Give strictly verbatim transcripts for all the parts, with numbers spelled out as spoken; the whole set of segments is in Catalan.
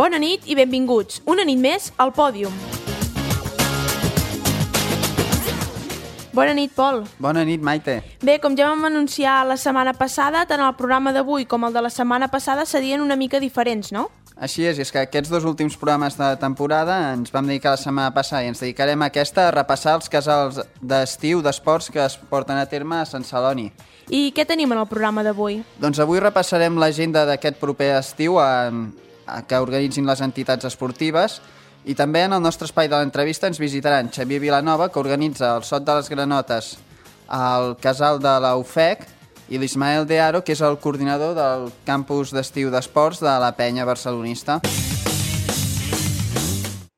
Bona nit i benvinguts, una nit més al Pòdium. Bona nit, Pol. Bona nit, Maite. Bé, com ja vam anunciar la setmana passada, tant el programa d'avui com el de la setmana passada serien una mica diferents, no? Així és, i és que aquests dos últims programes de temporada ens vam dedicar la setmana passada i ens dedicarem a aquesta a repassar els casals d'estiu d'esports que es porten a terme a Sant Celoni. I què tenim en el programa d'avui? Doncs avui repassarem l'agenda d'aquest proper estiu a, a que organitzin les entitats esportives i també en el nostre espai de l'entrevista ens visitaran Xavier Vilanova, que organitza el Sot de les Granotes al casal de la U F E C, i l'Ismael De Haro, que és el coordinador del campus d'estiu d'esports de la Penya Barcelonista.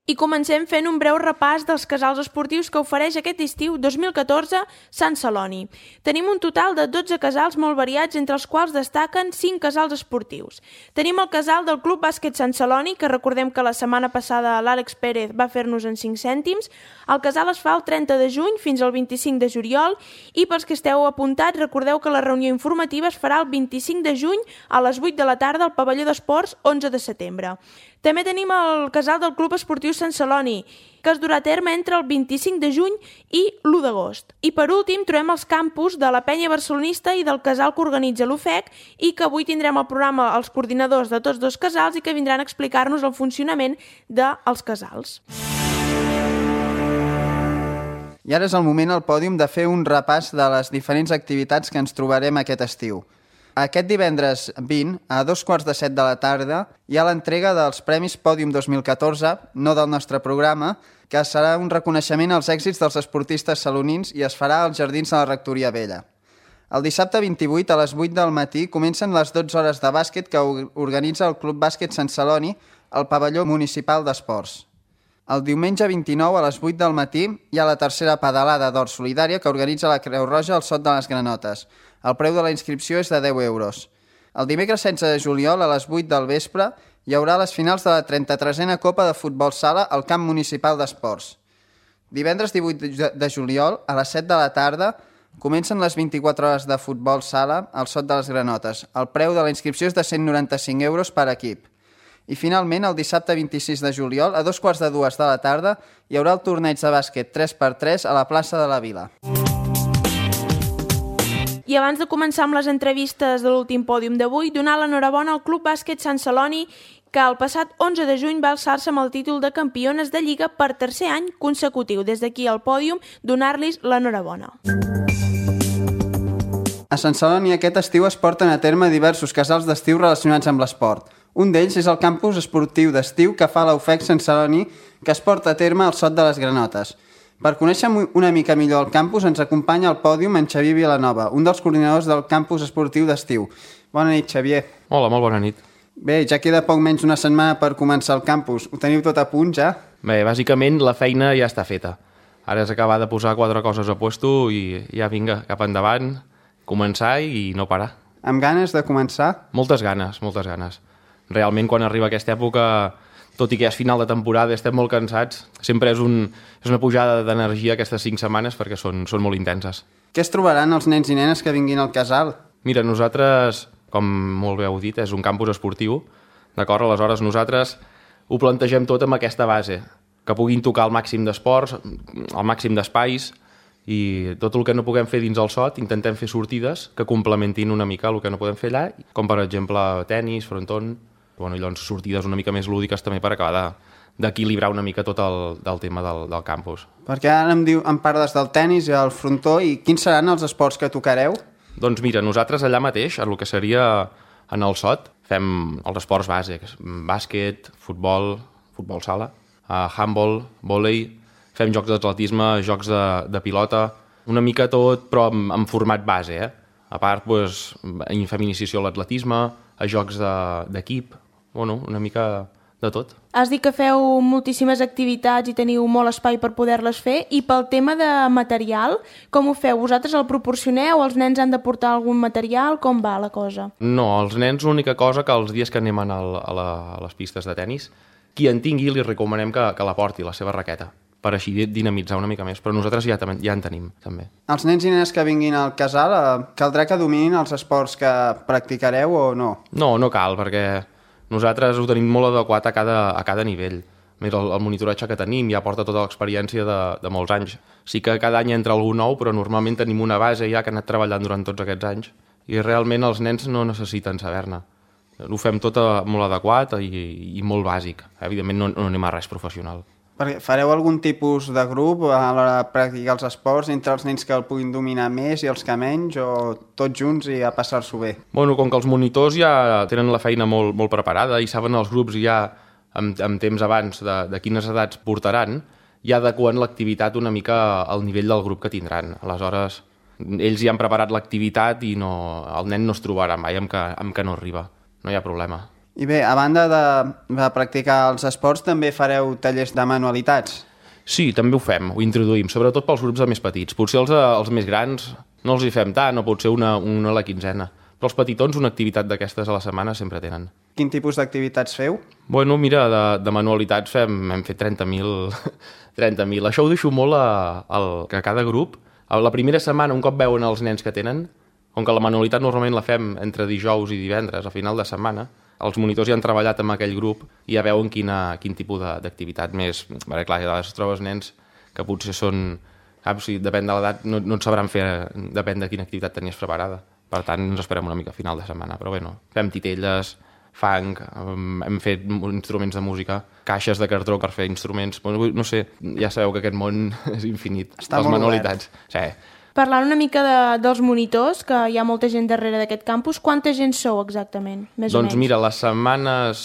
I comencem fent un breu repàs dels casals esportius que ofereix aquest estiu dos mil catorze Sant Celoni. Tenim un total de dotze casals molt variats, entre els quals destaquen cinc casals esportius. Tenim el casal del Club Bàsquet Sant Celoni, que recordem que la setmana passada l'Àlex Pérez va fer-nos en cinc cèntims. El casal es fa el trenta de juny fins al vint-i-cinc de juliol i pels que esteu apuntats recordeu que la reunió informativa es farà el vint-i-cinc de juny a les vuit de la tarda al pavelló d'esports onze de setembre. També tenim el casal del Club Esportiu Sant Celoni, que es durà a terme entre el vint-i-cinc de juny i l'u d'agost. I per últim trobem els campus de la Penya Barcelonista i del casal que organitza l'U F E C i que avui tindrem al programa els coordinadors de tots dos casals i que vindran a explicar-nos el funcionament dels casals. I ara és el moment al pòdium de fer un repàs de les diferents activitats que ens trobarem aquest estiu. Aquest divendres vint, a dos quarts de set de la tarda, hi ha l'entrega dels Premis Pòdium dos mil catorze, no del nostre programa, que serà un reconeixement als èxits dels esportistes salonins i es farà als Jardins de la Rectoria Vella. El dissabte vint-i-vuit, a les vuit del matí, comencen les dotze hores de bàsquet que organitza el Club Bàsquet Sant Celoni al pavelló municipal d'esports. El diumenge vint-i-nou, a les vuit del matí, hi ha la tercera pedalada d'or solidària que organitza la Creu Roja al Sot de les Granotes. El preu de la inscripció és de deu euros. El dimecres setze de juliol, a les vuit del vespre, hi haurà les finals de la trenta-tresena Copa de Futbol Sala al Camp Municipal d'Esports. Divendres divuit de juliol, a les set de la tarda, comencen les vint-i-quatre hores de Futbol Sala al Sot de les Granotes. El preu de la inscripció és de cent noranta-cinc euros per equip. I finalment, el dissabte vint-i-sis de juliol, a dos quarts de dues de la tarda, hi haurà el torneig de bàsquet tres per tres a la plaça de la Vila. I abans de començar amb les entrevistes de l'últim pòdium d'avui, donar l'enhorabona al Club Bàsquet Sant Celoni, que el passat onze de juny va alçar-se amb el títol de campiones de Lliga per tercer any consecutiu. Des d'aquí al pòdium, donar-los l'enhorabona. A Sant Celoni aquest estiu es porten a terme diversos casals d'estiu relacionats amb l'esport. Un d'ells és el campus esportiu d'estiu que fa la U F E C Sant Celoni, que es porta a terme al Sot de les Granotes. Per conèixer una mica millor el campus ens acompanya al pòdium en Xavier Vilanova, un dels coordinadors del campus esportiu d'estiu. Bona nit, Xavier. Hola, molt bona nit. Bé, ja queda poc menys una setmana per començar el campus. Ho teniu tot a punt, ja? Bé, bàsicament la feina ja està feta. Ara és acabar de posar quatre coses a puesto i ja vinga, cap endavant, començar i no parar. Amb ganes de començar? Moltes ganes, moltes ganes. Realment, quan arriba aquesta època, tot i que és final de temporada, estem molt cansats, sempre és, un, és una pujada d'energia aquestes cinc setmanes perquè són, són molt intenses. Què es trobaran els nens i nenes que vinguin al casal? Mira, nosaltres, com molt bé heu dit, és un campus esportiu, d'acord? Aleshores nosaltres ho plantegem tot amb aquesta base, que puguin tocar el màxim d'esports, el màxim d'espais, i tot el que no puguem fer dins el sot intentem fer sortides que complementin una mica el que no podem fer allà, com per exemple tenis, fronton, bueno, i llavors sortides una mica més lúdiques també per acabar d'equilibrar una mica tot el, del tema del, del campus. Perquè ara em, diu, em parles del tenis i el frontó, i quins seran els esports que tocareu? Doncs mira, nosaltres allà mateix, el que seria en el sot, fem els esports bàsics, bàsquet, futbol, futbol sala, uh, handball, vòlei, fem jocs d'atletisme, jocs de, de pilota, una mica tot, però en, en format base, eh? A part, doncs, fem iniciació a l'atletisme, a jocs d'equip, bueno, una mica de tot. Has dit que feu moltíssimes activitats i teniu molt espai per poder-les fer, i pel tema de material, com ho feu? Vosaltres el proporcioneu? Els nens han de portar algun material? Com va la cosa? No, els nens l'única cosa que els dies que anem a, la, a les pistes de tennis, qui en tingui li recomanem que, que la porti, la seva raqueta, per així dinamitzar una mica més, però nosaltres ja, ja en tenim, també. Els nens i nenes que vinguin al casal, eh, caldrà que dominin els esports que practicareu o no? No, no cal, perquè Nosaltres ho tenim molt adequat a cada, a cada nivell. Més el, el monitoratge que tenim ja porta tota l'experiència de, de molts anys. Sí que cada any entra algú nou, però normalment tenim una base ja que ha anat treballant durant tots aquests anys i realment els nens no necessiten saber-ne. Ho fem tot molt adequat i, i molt bàsic. Evidentment no, no anem a res professional. Perquè fareu algun tipus de grup a l'hora de practicar els esports entre els nens que el puguin dominar més i els que menys, o tots junts i a passar-s'ho bé? Bueno, com que els monitors ja tenen la feina molt, molt preparada i saben els grups ja amb, amb temps abans de, de quines edats portaran, ja adequen l'activitat una mica al nivell del grup que tindran. Aleshores, ells ja han preparat l'activitat i no, el nen no es trobarà mai amb que, amb que no arriba. No hi ha problema. I bé, a banda de, de practicar els esports, també fareu tallers de manualitats? Sí, també ho fem, ho introduïm, sobretot pels grups de més petits. Potser els, els més grans no els hi fem tant, o potser una, una a la quinzena. Però els petitons una activitat d'aquestes a la setmana sempre tenen. Quin tipus d'activitats feu? Bueno, mira, de, de manualitats fem, hem fet trenta mil. trenta mil. Això ho deixo molt a, a, a cada grup. A la primera setmana, un cop veuen els nens que tenen, com que la manualitat normalment la fem entre dijous i divendres, a final de setmana, els monitors ja han treballat amb aquell grup i ja veuen quina, quin tipus d'activitat més... Bé, clar, ja es trobes nens que potser són... Saps, si depèn de l'edat, no, no et sabran fer... Depèn de quina activitat tenies preparada. Per tant, ens esperem una mica a final de setmana. Però bé, no. Fem titelles, fang, hem fet instruments de música, caixes de cartró per fer instruments... No sé, ja sabeu que aquest món és infinit. Està les molt manualitats. obert. Sí. Parlant una mica de, dels monitors, que hi ha molta gent darrere d'aquest campus, quanta gent sou exactament, més doncs o menys? Mira, les setmanes,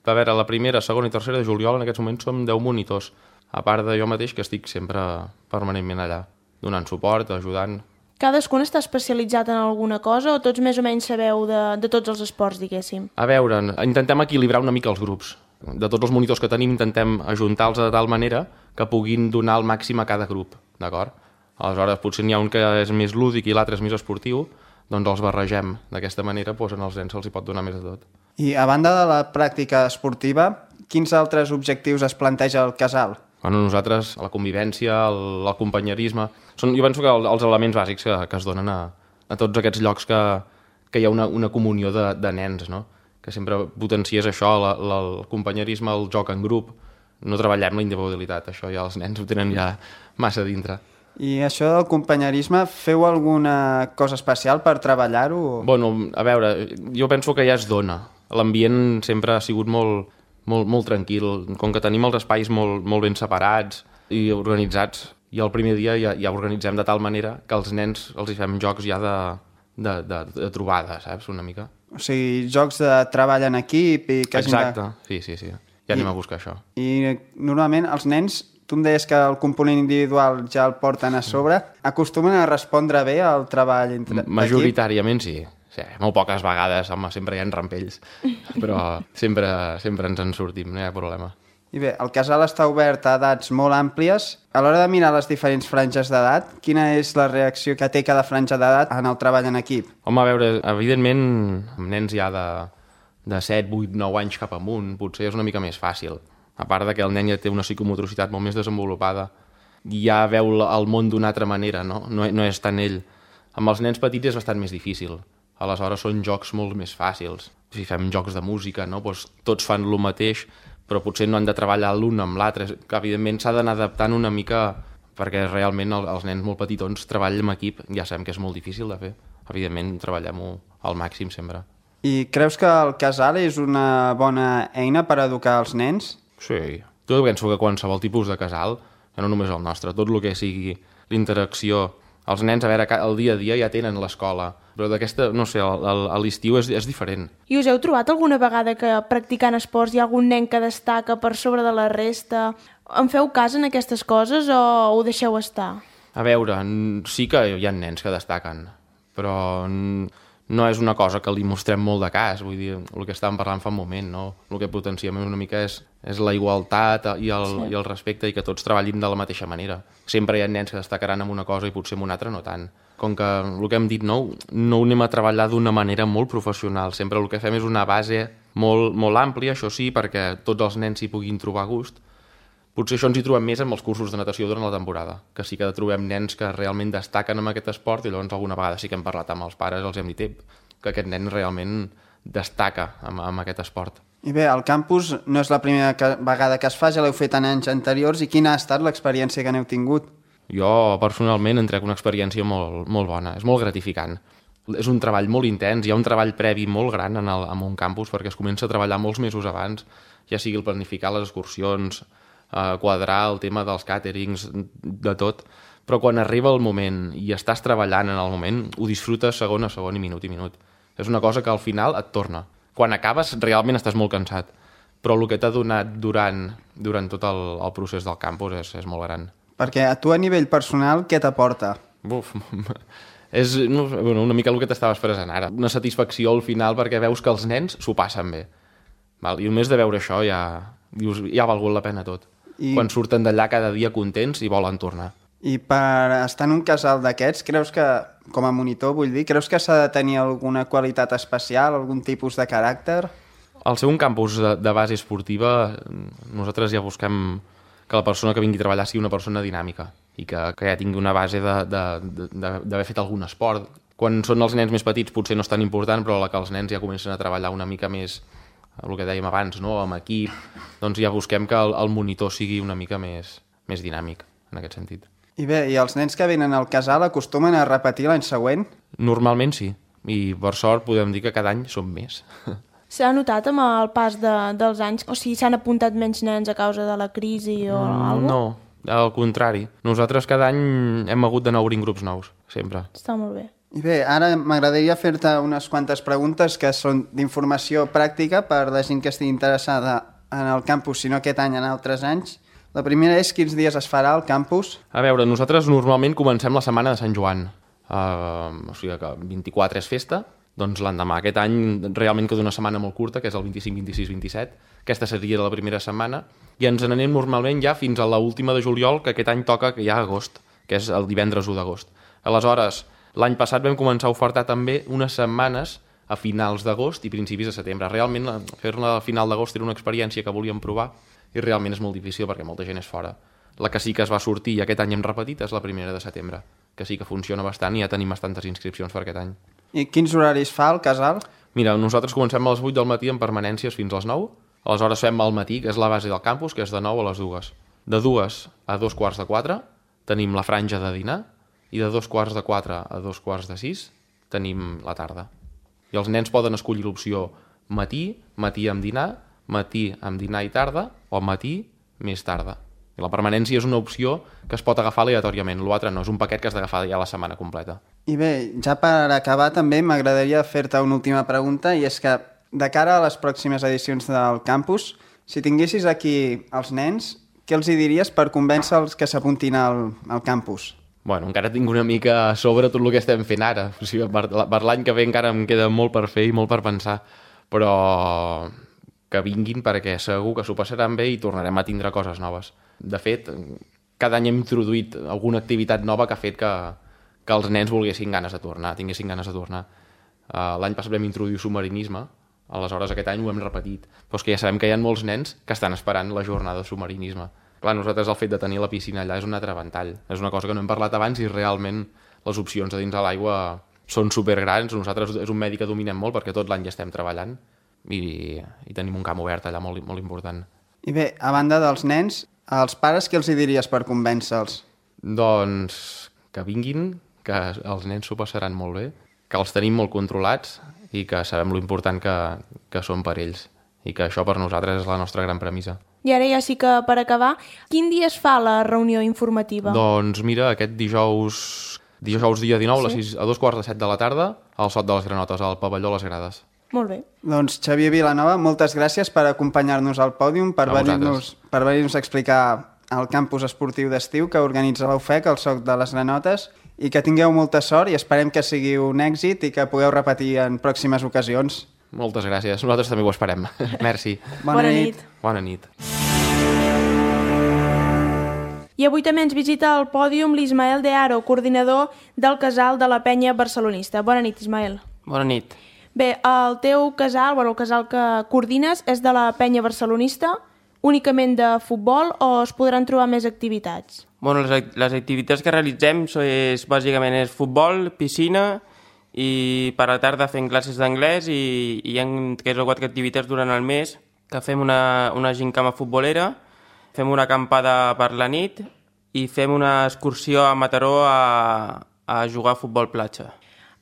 a veure, la primera, segona i tercera de juliol, en aquests moments som deu monitors, a part de jo mateix, que estic sempre permanentment allà, donant suport, ajudant. Cadascun està especialitzat en alguna cosa o tots més o menys sabeu de, de tots els esports, diguéssim? A veure, intentem equilibrar una mica els grups. De tots els monitors que tenim intentem ajuntar-los de tal manera que puguin donar el màxim a cada grup, d'acord? Aleshores, potser n'hi ha un que és més lúdic i l'altre és més esportiu, doncs els barregem. D'aquesta manera, doncs, als nens se'ls hi pot donar més de tot. I a banda de la pràctica esportiva, quins altres objectius es planteja el casal? Bueno, nosaltres, la convivència, el, el companyerisme... Són, jo penso que el, els elements bàsics que, que es donen a, a tots aquests llocs que, que hi ha una, una comunió de, de nens, no? Que sempre potencies això, la, la, el companyerisme, el joc en grup. No treballem la individualitat, això ja els nens ho tenen ja massa dintre. I això del companyerisme, feu alguna cosa especial per treballar-ho? Bueno, a veure, jo penso que ja es dona. L'ambient sempre ha sigut molt, molt, molt tranquil, com que tenim els espais molt, molt ben separats i organitzats, i el primer dia ja, ja organitzem de tal manera que els nens els hi fem jocs ja de, de, de, de trobada, saps, una mica. O sigui, jocs de treball en equip i que Exacte, de... sí, sí, sí. Ja anem I, a buscar això. I normalment els nens... Tu em deies que el component individual ja el porten a sobre. Acostumen a respondre bé al treball entre majoritàriament sí. Sí. Molt poques vegades, home, sempre hi ha rampells. Però sempre, sempre ens en sortim, no hi ha problema. I bé, el casal està obert a edats molt àmplies. A l'hora de mirar les diferents franges d'edat, quina és la reacció que té cada franja d'edat en el treball en equip? Home, a veure, evidentment, amb nens ja de, de set, vuit, nou anys cap amunt, potser és una mica més fàcil. A part de que el nen ja té una psicomotricitat molt més desenvolupada, ja veu el món d'una altra manera, no? No, no és tant ell. Amb els nens petits és bastant més difícil. Aleshores són jocs molt més fàcils. Si fem jocs de música, no? Doncs tots fan el mateix, però potser no han de treballar l'un amb l'altre. Evidentment s'ha d'anar adaptant una mica, perquè realment els nens molt petitons treballen en equip, ja sabem que és molt difícil de fer. Evidentment treballem-ho al màxim sempre. I creus que el casal és una bona eina per educar els nens? Sí, jo penso que qualsevol tipus de casal, no només el nostre, tot el que sigui l'interacció, els nens, a veure, el dia a dia ja tenen l'escola, però d'aquesta, no sé, a l'estiu és, és diferent. I us heu trobat alguna vegada que practicant esports hi ha algun nen que destaca per sobre de la resta? En feu cas en aquestes coses o ho deixeu estar? A veure, sí que hi ha nens que destaquen, però no és una cosa que li mostrem molt de cas, vull dir, el que estàvem parlant fa un moment, no? El que potenciem una mica és, és la igualtat i el, sí. i el respecte i que tots treballin de la mateixa manera. Sempre hi ha nens que destacaran en una cosa i potser en una altra no tant. Com que el que hem dit, no, no ho anem a treballar d'una manera molt professional, sempre el que fem és una base molt, molt àmplia, això sí, perquè tots els nens s'hi puguin trobar a gust. Potser això ens hi trobem més amb els cursos de natació durant la temporada, que sí que trobem nens que realment destaquen en aquest esport i llavors alguna vegada sí que hem parlat amb els pares, els hem dit que aquest nen realment destaca amb, amb aquest esport. I bé, el campus no és la primera que, vegada que es fa, ja l'heu fet en anys anteriors, i quina ha estat l'experiència que n'heu tingut? Jo, personalment, en trec una experiència molt, molt bona, és molt gratificant. És un treball molt intens, hi ha un treball previ molt gran en, el, en un campus, perquè es comença a treballar molts mesos abans, ja sigui el planificar les excursions, eh, quadrar el tema dels càterings, de tot, però quan arriba el moment i estàs treballant en el moment, ho disfrutes segon a segon i minut i minut. És una cosa que al final et torna. Quan acabes realment estàs molt cansat, però el que t'ha donat durant, durant tot el, el procés del campus és, és molt gran. Perquè a tu a nivell personal, què t'aporta? Buf, és no, bueno, una mica el que t'estava expressant ara. Una satisfacció al final perquè veus que els nens s'ho passen bé. Val? I només de veure això ja, dius, ja ha valgut la pena tot. I... Quan surten d'allà cada dia contents i volen tornar. I per estar en un casal d'aquests, creus que, com a monitor vull dir, creus que s'ha de tenir alguna qualitat especial, algun tipus de caràcter? Al ser un campus de, de base esportiva, nosaltres ja busquem que la persona que vingui a treballar sigui una persona dinàmica i que, que ja tingui una base d'haver fet algun esport. Quan són els nens més petits potser no és tan important, però la que els nens ja comencen a treballar una mica més, el que dèiem abans, no? Amb equip, doncs ja busquem que el, el monitor sigui una mica més, més dinàmic en aquest sentit. I bé, i els nens que venen al casal acostumen a repetir l'any següent? Normalment sí, i per sort podem dir que cada any som més. S'ha notat amb el pas de, dels anys? O sigui, s'han apuntat menys nens a causa de la crisi o mm, alguna cosa? No, al contrari. Nosaltres cada any hem hagut d'anar obrint grups nous, sempre. Està molt bé. I bé, ara m'agradaria fer-te unes quantes preguntes que són d'informació pràctica per la gent que estigui interessada en el campus, si no aquest any, en altres anys. La primera és quins dies es farà al campus? A veure, nosaltres normalment comencem la setmana de Sant Joan. Uh, o sigui que vint-i-quatre és festa, doncs l'endemà. Aquest any realment queda una setmana molt curta, que és el vint-i-cinc, vint-i-sis, vint-i-set. Aquesta seria la primera setmana. I ens n'anem normalment ja fins a l'última de juliol, que aquest any toca que hi ha agost, que és el divendres u d'agost. Aleshores, l'any passat vam començar a ofertar també unes setmanes a finals d'agost i principis de setembre. Realment, fer-la a final d'agost era una experiència que volíem provar, i realment és molt difícil perquè molta gent és fora. La que sí que es va sortir i aquest any hem repetit és la primera de setembre, que sí que funciona bastant i ja tenim bastantes inscripcions per aquest any. I quins horaris fa el casal? Mira, nosaltres comencem a les vuit del matí amb permanències fins a les nou, aleshores fem al matí, que és la base del campus, que és de nou a les dues. De dues a dos quarts de quatre tenim la franja de dinar i de dos quarts de quatre a dos quarts de sis tenim la tarda. I els nens poden escollir l'opció matí, matí amb dinar, matí amb dinar i tarda, o matí més tarda. I la permanència és una opció que es pot agafar aleatòriament, l'altre no, és un paquet que has d'agafar ja la setmana completa. I bé, ja per acabar també m'agradaria fer-te una última pregunta, i és que de cara a les pròximes edicions del campus, si tinguessis aquí els nens, què els hi diries per convèncer-los que s'apuntin al, al campus? Bueno, encara tinc una mica a sobre tot el que estem fent ara. O sigui, per, per l'any que ve encara em queda molt per fer i molt per pensar, però que vinguin perquè segur que s'ho passaran bé i tornarem a tindre coses noves. De fet, cada any hem introduït alguna activitat nova que ha fet que, que els nens volguessin ganes de tornar, tinguessin ganes de tornar. Uh, l'any passat vam introduir submarinisme, aleshores aquest any ho hem repetit. Però és que ja sabem que hi ha molts nens que estan esperant la jornada de submarinisme. Clar, nosaltres el fet de tenir la piscina allà és un altre ventall. És una cosa que no hem parlat abans i realment les opcions a dins de l'aigua són supergrans. Nosaltres és un medi que dominem molt perquè tot l'any ja estem treballant i, i tenim un camp obert allà molt, molt important. I bé, a banda dels nens, als pares què els hi diries per convèncer-los? Doncs que vinguin, que els nens s'ho passaran molt bé, que els tenim molt controlats i que sabem lo important que, que són per ells i que això per nosaltres és la nostra gran premissa. I ara ja sí que per acabar, quin dia es fa la reunió informativa? Doncs mira, aquest dijous, dijous dia dinou sí? a, sis, a dos quarts de set de la tarda al Sot de les Granotes, al pavelló Les Grades. Molt bé. Doncs Xavier Vilanova, moltes gràcies per acompanyar-nos al pòdium, per venir-nos per venir-nos a explicar el campus esportiu d'estiu que organitza l'U F E C, el Soc de les Granotes, i que tingueu molta sort i esperem que sigui un èxit i que pugueu repetir en pròximes ocasions. Moltes gràcies, nosaltres també ho esperem. Merci. Bona, Bona nit. nit. Bona nit. I avui també ens visita al pòdium l'Ismael De Haro, coordinador del casal de la Penya Barcelonista. Bona nit, Ismael. Bona nit. Bé, el teu casal, bueno, el casal que coordines és de la Penya Barcelonista, únicament de futbol o es podran trobar més activitats? Bueno, les, les activitats que realitzem és, bàsicament és futbol, piscina i per la tarda fem classes d'anglès i, i hi ha tres o quatre activitats durant el mes que fem una, una gincama futbolera, fem una acampada per la nit i fem una excursió a Mataró a, a jugar a futbol platja.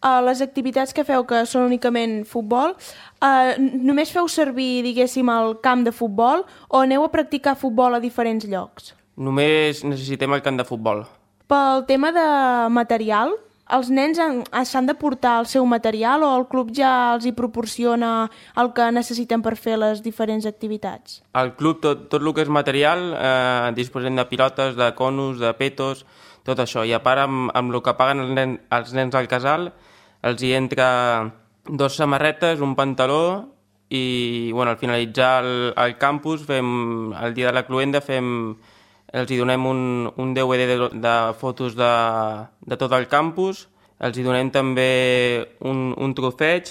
Uh, les activitats que feu, que són únicament futbol, uh, només feu servir, diguéssim, el camp de futbol o aneu a practicar futbol a diferents llocs? Només necessitem el camp de futbol. Pel tema de material, els nens han- s'han de portar el seu material o el club ja els hi proporciona el que necessiten per fer les diferents activitats? Al club, tot, tot el que és material, eh, disposem de pilotes, de conos, de petos, tot això. I a part, amb, amb el que paguen els, nen, els nens al casal, els hi entra dos samarretes, un pantaló i bueno, al finalitzar el, el campus, fem, el dia de la cluenda, fem, els hi donem un, un D V D de, de fotos de, de tot el campus, els hi donem també un, un trofeig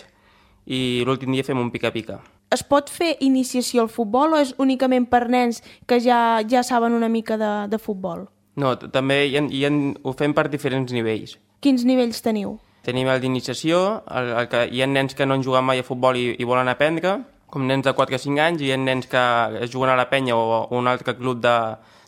i l'últim dia fem un pica-pica. Es pot fer iniciació al futbol o és únicament per nens que ja, ja saben una mica de, de futbol? No, t- també hi ha, hi ha, ho fem per diferents nivells. Quins nivells teniu? Tenim el d'iniciació, el, el que hi ha nens que no han jugat mai a futbol i, i volen aprendre, com nens de quatre a cinc anys, i hi ha nens que es juguen a la penya o a un altre club de,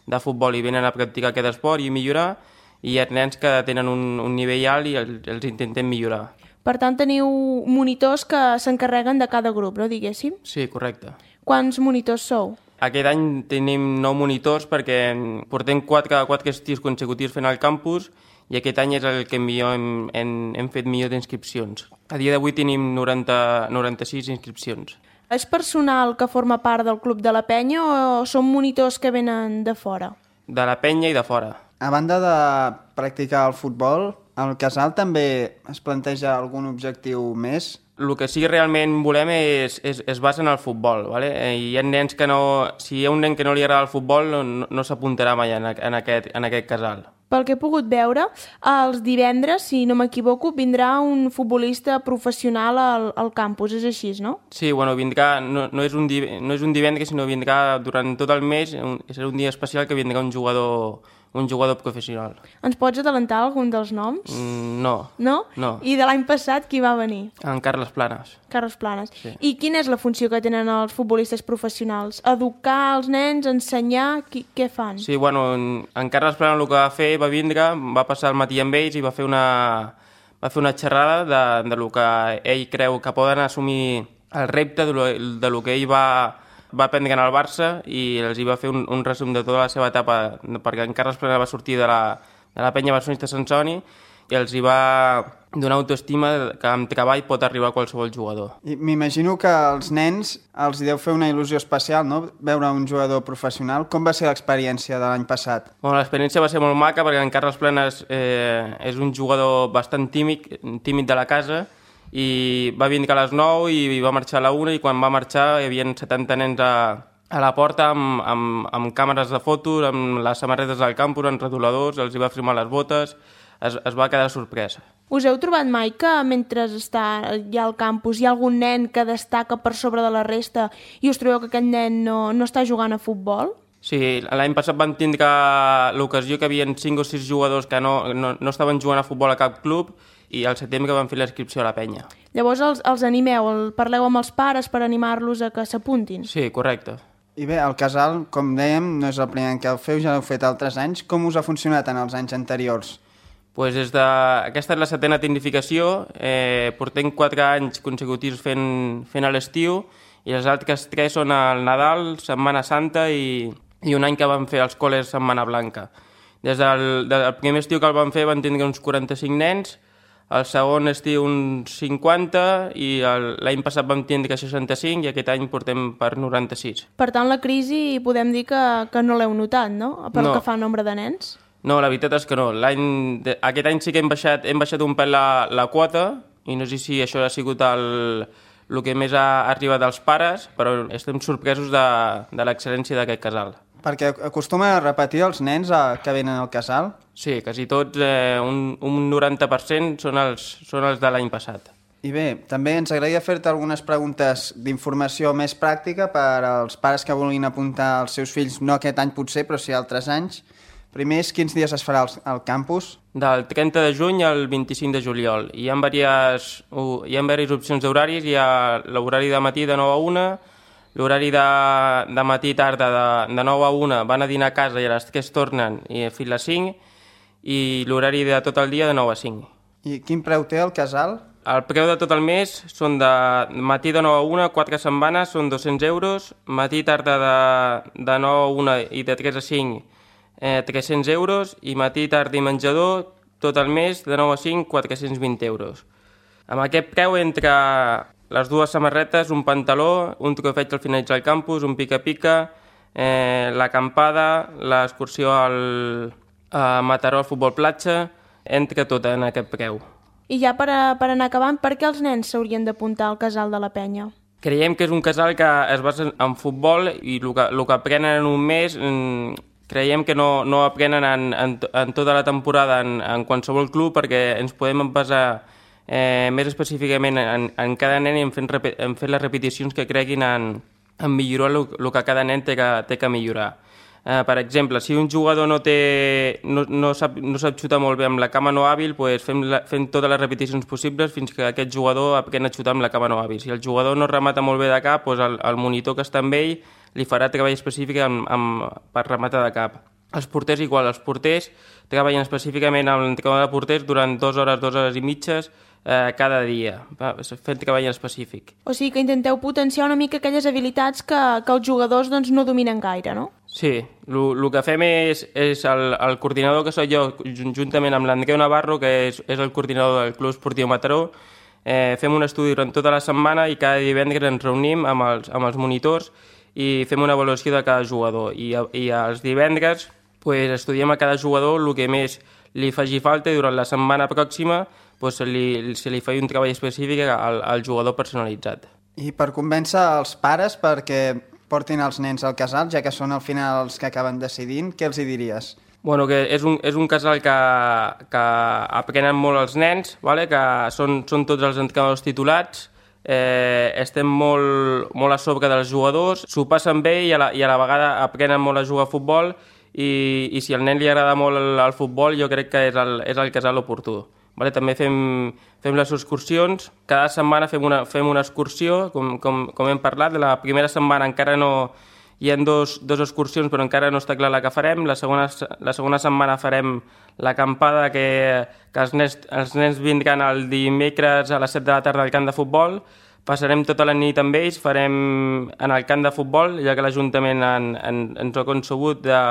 de futbol i venen a practicar aquest esport i millorar, i hi ha nens que tenen un, un nivell alt i el, els intentem millorar. Per tant, teniu monitors que s'encarreguen de cada grup, no, diguéssim? Sí, correcte. Quants monitors sou? Aquest any tenim nou monitors perquè portem quatre, quatre estius consecutius fent al campus i aquest any és el que millor hem, hem, hem fet millor d'inscripcions. A dia d'avui tenim noranta, noranta-sis inscripcions. És personal que forma part del club de la penya o són monitors que venen de fora? De la penya i de fora. A banda de practicar el futbol, al casal també es planteja algun objectiu més? El que sí que realment volem és, és, es basa en el futbol, ¿vale? Hi ha nens que no... Si hi ha un nen que no li agrada el futbol, no, no s'apuntarà mai en, en, aquest, en aquest casal. Pel que he pogut veure, els divendres, si no m'equivoco, vindrà un futbolista professional al, al campus, és així, no? Sí, bueno, vindrà... No, no, és un, div- no és un divendres, sinó vindrà durant tot el mes, un, serà un dia especial que vindrà un jugador, un jugador professional. Ens pots adelantar algun dels noms? Mm, no, No? no. I de l'any passat qui va venir? En Carles Planes. Carles Planes. Sí. I quina és la funció que tenen els futbolistes professionals? Educar els nens, ensenyar? Qui, què fan? Sí, bueno, en, en Carles Planes el que va fer, va vindre, va passar el matí amb ells i va fer una, va fer una xerrada de, de lo que ell creu que poden assumir el repte de lo, de lo que ell va, va aprendre al Barça i els hi va fer un, un resum de tota la seva etapa, perquè en Carles Planes va sortir de la, de la penya barcelonista Sant Soni i els hi va donar autoestima que amb treball pot arribar a qualsevol jugador. I m'imagino que als nens els hi deu fer una il·lusió especial, no?, veure un jugador professional. Com va ser l'experiència de l'any passat? Bueno, l'experiència va ser molt maca perquè en Carles Planes eh, és un jugador bastant tímid, tímid de la casa i va vindre a les nou i va marxar a la una i quan va marxar hi havia setanta nens a, a la porta amb, amb, amb càmeres de fotos, amb les samarretes del campus, amb retoladors, els hi va firmar les botes, es, es va quedar sorprès. Us heu trobat mai que mentre està allà al campus hi ha algun nen que destaca per sobre de la resta i us trobeu que aquest nen no, no està jugant a futbol? Sí, l'any passat van tindre l'ocasió que hi havia cinc o sis jugadors que no, no, no estaven jugant a futbol a cap club i al setembre van fer l'inscripció a la penya. Llavors els, els animeu, el, parleu amb els pares per animar-los a que s'apuntin? Sí, correcte. I bé, el casal, com dèiem, no és el primer any que el feu, ja l'heu fet altres anys. Com us ha funcionat en els anys anteriors? Pues des de... Aquesta és la setena tecnificació, eh, portem quatre anys consecutius fent, fent a l'estiu i els altres tres són al Nadal, Setmana Santa i, i un any que vam fer els col·les Setmana Blanca. Des del, del primer estiu que el vam fer van tindre uns quaranta-cinc nens, el segon estiu uns cinquanta i el- l'any passat vam tindre seixanta-cinc i aquest any portem per noranta-sis. Per tant, la crisi podem dir que, que no l'heu notat, no? Per No. que fa nombre de nens? No, la veritat és que no. L'any de- aquest any sí que hem baixat, hem baixat un pèl la, la quota i no sé si això ha sigut el, el que més ha arribat als pares, però estem sorpresos de, de l'excel·lència d'aquest casal. Perquè acostuma a repetir els nens a, que venen al casal? Sí, quasi tots, eh, un, un noranta per cent són els, són els de l'any passat. I bé, també ens agradaria fer-te algunes preguntes d'informació més pràctica per als pares que vulguin apuntar els seus fills, no aquest any potser, però sí altres anys. Primer és quins dies es farà al, al campus? Del trenta de juny al vint-i-cinc de juliol. Hi ha diverses, hi ha diverses opcions d'horaris. Hi ha l'horari de matí de nou a una, l'horari de, de matí i tarda de, de nou a una van a dinar a casa i a les tres tornen i fins a les cinc, i l'horari de tot el dia de nou a cinc. I quin preu té el casal? El preu de tot el mes són de matí de nou a una, quatre setmanes, són dos-cents euros, matí i tarda de, de nou a una i de tres a cinc, eh, tres-cents euros, i matí, tarda i menjador, tot el mes, de nou a cinc, quatre-cents vint euros. Amb aquest preu, entre les dues samarretes, un pantaló, un trofeig al finalitzar el campus, un pica-pica, eh, l'acampada, l'excursió al a Mataró al futbol platja, entra tot en aquest preu. I ja per, a, per anar acabant, per què els nens s'haurien d'apuntar al casal de la Penya? Creiem que és un casal que es basa en futbol i el que, el que aprenen en un mes creiem que no, no aprenen en, en, en tota la temporada en, en qualsevol club, perquè ens podem basar eh, més específicament en, en cada nen i en fent, en fent les repeticions que creguin en, en millorar el, el que cada nen té que, té que millorar. Uh, per exemple, si un jugador no, té, no, no, sap, no sap xutar molt bé amb la cama no hàbil, pues fem, la, fem totes les repeticions possibles fins que aquest jugador aprèn a xutar amb la cama no hàbil. Si el jugador no remata molt bé de cap, pues el, el monitor que està amb ell li farà treball específic amb, amb, per rematar de cap. Els porters igual, els porters treballen específicament amb l'entrenador de porters durant dues hores, dues hores i mitges eh, cada dia, fent treball específic. O sigui que intenteu potenciar una mica aquelles habilitats que, que els jugadors doncs, no dominen gaire, no? Sí, el que fem és, és el, el coordinador que soc jo, juntament amb l'Andreu Navarro, que és, és el coordinador del Club Esportiu Mataró, eh, fem un estudi durant tota la setmana i cada divendres ens reunim amb els, amb els monitors i fem una avaluació de cada jugador. I, i els divendres pues, estudiem a cada jugador el que més li faci falta i durant la setmana pròxima pues, se, li, se li fa un treball específic al, al jugador personalitzat. I per convèncer els pares perquè portin els nens al casal, ja que són al final els que acaben decidint, què els hi diries? Bueno, que és un, és un casal que, que aprenen molt els nens, vale? Que són, són tots els entrenadors titulats, eh, estem molt, molt a sobre dels jugadors, s'ho passen bé i a, la, i a la vegada aprenen molt a jugar a futbol i, i si al nen li agrada molt el, el futbol jo crec que és el, és el casal oportú. Vale, també fem, fem les excursions, cada setmana fem una, fem una excursió, com, com, com hem parlat, la primera setmana encara no hi ha dos, dos excursions però encara no està clar la que farem, la segona, la segona setmana farem l'acampada que, que els, nens, els nens vindran el dimecres a les set de la tarda al camp de futbol, passarem tota la nit amb ells, farem en el camp de futbol, ja que l'Ajuntament en, en, ens ha concebut de,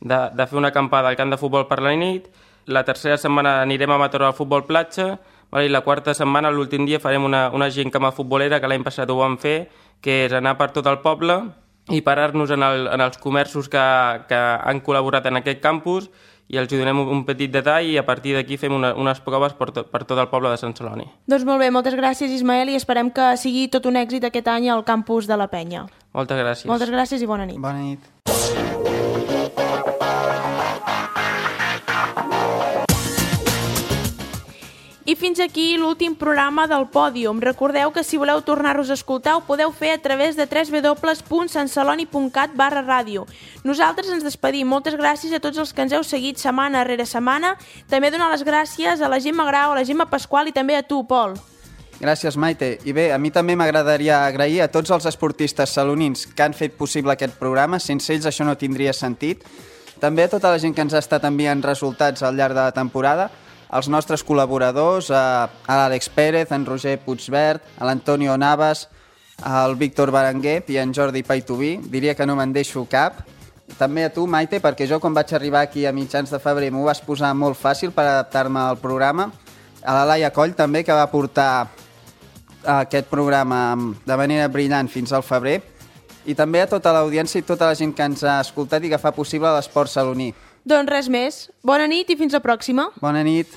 de, de fer una acampada al camp de futbol per la nit. La tercera setmana anirem a Mataró al futbol platja, vale? I la quarta setmana, l'últim dia, farem una, una gincama futbolera, que l'any passat ho vam fer, que és anar per tot el poble i parar-nos en, el, en els comerços que, que han col·laborat en aquest campus i els donem un petit detall i a partir d'aquí fem una, unes proves per, to, per tot el poble de Sant Celoni. Doncs molt bé, moltes gràcies Ismael i esperem que sigui tot un èxit aquest any al campus de la Penya. Moltes gràcies. Moltes gràcies i bona nit. Bona nit. I fins aquí l'últim programa del Pòdium. Recordeu que si voleu tornar-nos a escoltar ho podeu fer a través de w w w punt sant celoni punt cat barra ràdio. Nosaltres ens despedim. Moltes gràcies a tots els que ens heu seguit setmana rere setmana. També donar les gràcies a la Gemma Grau, a la Gemma Pasqual i també a tu, Pol. Gràcies, Maite. I bé, a mi també m'agradaria agrair a tots els esportistes salonins que han fet possible aquest programa. Sense ells això no tindria sentit. També a tota la gent que ens ha estat enviant resultats al llarg de la temporada, als nostres col·laboradors, a, a l'Àlex Pérez, en Roger Puigvert, a l'Antonio Navas, al Víctor Berenguer i en Jordi Paitubí. Diria que no me'n deixo cap. També a tu, Maite, perquè jo quan vaig arribar aquí a mitjans de febrer m'ho vas posar molt fàcil per adaptar-me al programa. A la Laia Coll també, que va portar aquest programa de manera brillant fins al febrer. I també a tota l'audiència i tota la gent que ens ha escoltat i que fa possible l'esport saloní. Doncs res més. Bona nit i fins la pròxima. Bona nit.